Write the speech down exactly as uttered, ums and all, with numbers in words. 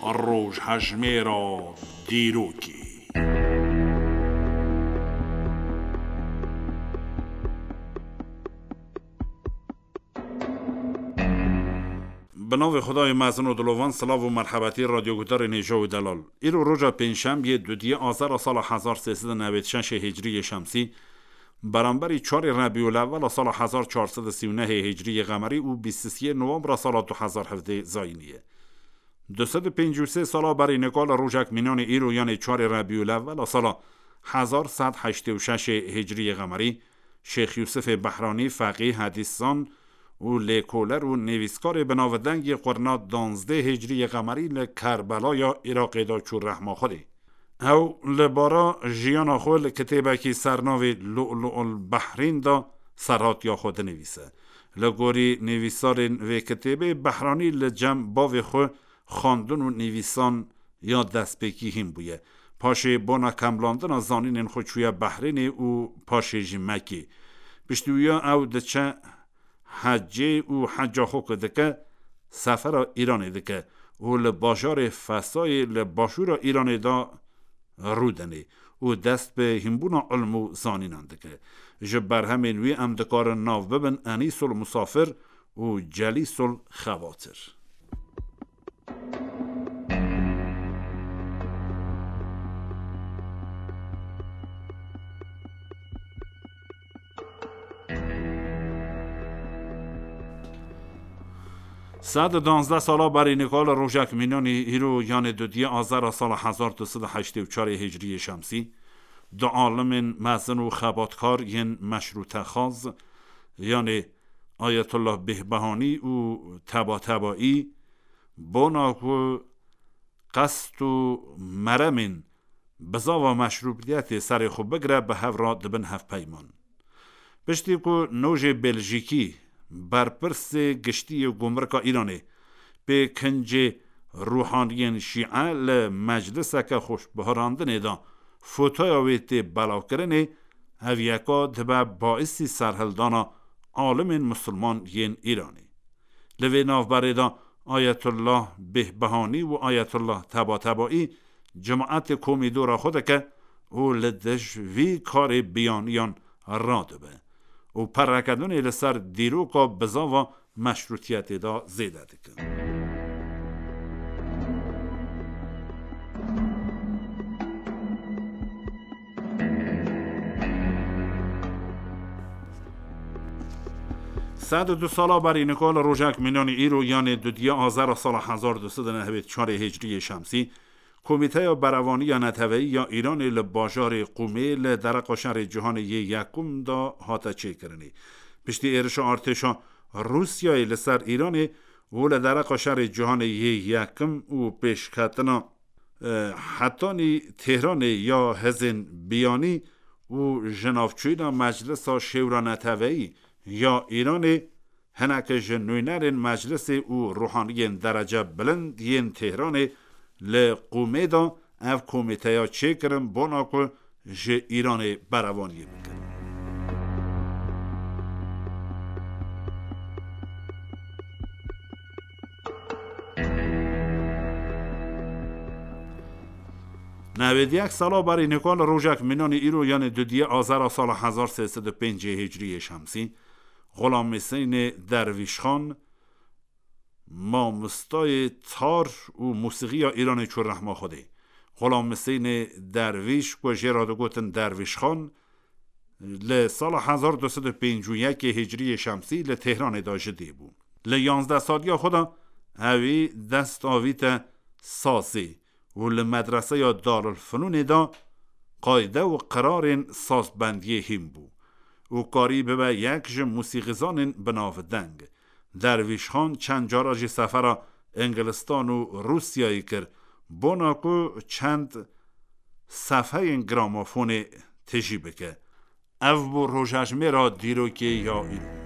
Rojhejmêra dîrokê. Bi navê Xwedayê mezin û dilovan, silav û merhebetî radyoguhdarên hêja û delal. Îro roja pêncşembiyê, dudiyê Azara sala hezar sê sed û newêd şeşê hicriyê şemsî, beramberî çarê Rebîulewwela sala hezar çar sed û sî û nehê hicriyê qemerî û bîst û siyê Nowembra sala du hezar hevdê zayînî ye. Du sed û pêncî û sê sala berî nika li rojek mînanê îro, yanê çarê Rebîulewwela sala hezar sed heştê û şeşê hicriyê qemerî, Şêx Yûsifê Behranî, feqî, hedîszan û lêkoler û nivîskarê bi navdengî qurna danzdê hicriyê qemerî li Kerbelaya Iraqê de çû rehma Xwedê. Ew li bara jiyana xwe li kitêbekî ser navê Lu'lu'ul Behrîn de serhatiya xwe dinivîse. Li gorî nivîsarên vê kitêbê, Behranî li cem bavê xwe xwendin û nivîsan ya destpêkî hîn bûye. Paşê bona kemlandina zanînên xwe çûye Behrênê û paşê jî Mekê. Piştî wiya ew diçe hecê û heca xwe ku dike, sefera Îranê dike û li bajarê Fesayê li başûra Îranê de rûdinê û dest bi hînbûna ilm û zanînan dike. Ji berhemên wî em dikarin nav bibin Enîsul Musafir û Celîsul Xebatir. Sed û danzdeh sala berî nika li rojek mînanî îro, yanê dudiyê Azara sala hezar du sed û heştê û çarê hicriyê şemsî, du alimên mezin û xebatkar yên meşrûtexwaz, yanê Ayetullah Bêhbehanî û Tebatabaî, bona ku qest û meremên bizava meşrûbiyetê serê xwe bigire, bi hev re dibin hevpeyman. Piştî ku nojê Beljîkî, berpirsê giştî yê gumrika Îranê, pê kincê ruhaniyên şîe li mecliseke xweşbiharandinê de fotoya wê tê belavkirinê, ev yeka dibe baisî serhildana alimên misilman yên Îranê. Li vê navberê de Ayetullah Bêhbehanî û Ayetullah Tebatabaî cimaetê komî dora xwe dike û li dij vî karê biyaniyan radibe û perekedunê li ser dîroka bizava meşrûtiyetê de zêde dikin. Sed û du sala berî nika li rojek mînanî îro, yanê dudiyê Azara sala hezar du sed û nehwêd çarê hicriyê şemsî, Komîteya Berevaniya Neteweyî ya Îranê li bajarê Qûmê li dereqa şerê Cîhanê yê Yekum de hate çêkirinê. Piştî êrişa artêşa Rûsyayê li ser Îranê û li dereqa şerê Cîhanê yê Yekim û pêşketina, e, hetanî Têhranê ya hêzên biyanî û ji navçûyîna Meclisa Şêwra Neteweyî ya Îranê, hineke ji nûnerên meclisê û ruhaniyên derece bilind yên Têhranê li Qûmê de ev komîteya çêkirin, bona ku ji Îranê berevaniyê bikin. Newêd yek sala berî nika li rojek mînanî îro, yanê dudiyê Azara sala hezar sê sed û pêncê hicriyê şemsî, Xulam Hüseynê Dervîşxan, mamostayê tar û mûsîxiya Îranê çû rehma Xwedê. Xulam Hüseynê Dervîş, ku jê re digotin Dervîşxan, li sala hezar du sed û pêncî û yekê hicriyê şemsî li Têhranê de ji dê bû. Li yanzdeh saliya xwe de ewî dest avîte sazê û li medreseya Darulfenûnê de qayde û qirarên sazbendiyê hîn bû û karî bibe yek ji mûsîqîzanên binavdeng. Dervîşxan çend cara jî sefera Îngilistan û Rûsyayê kir, bona ku çend sefheyên gramofonê tijî bike. Ev bû rojejmêra dîrokê ya îro.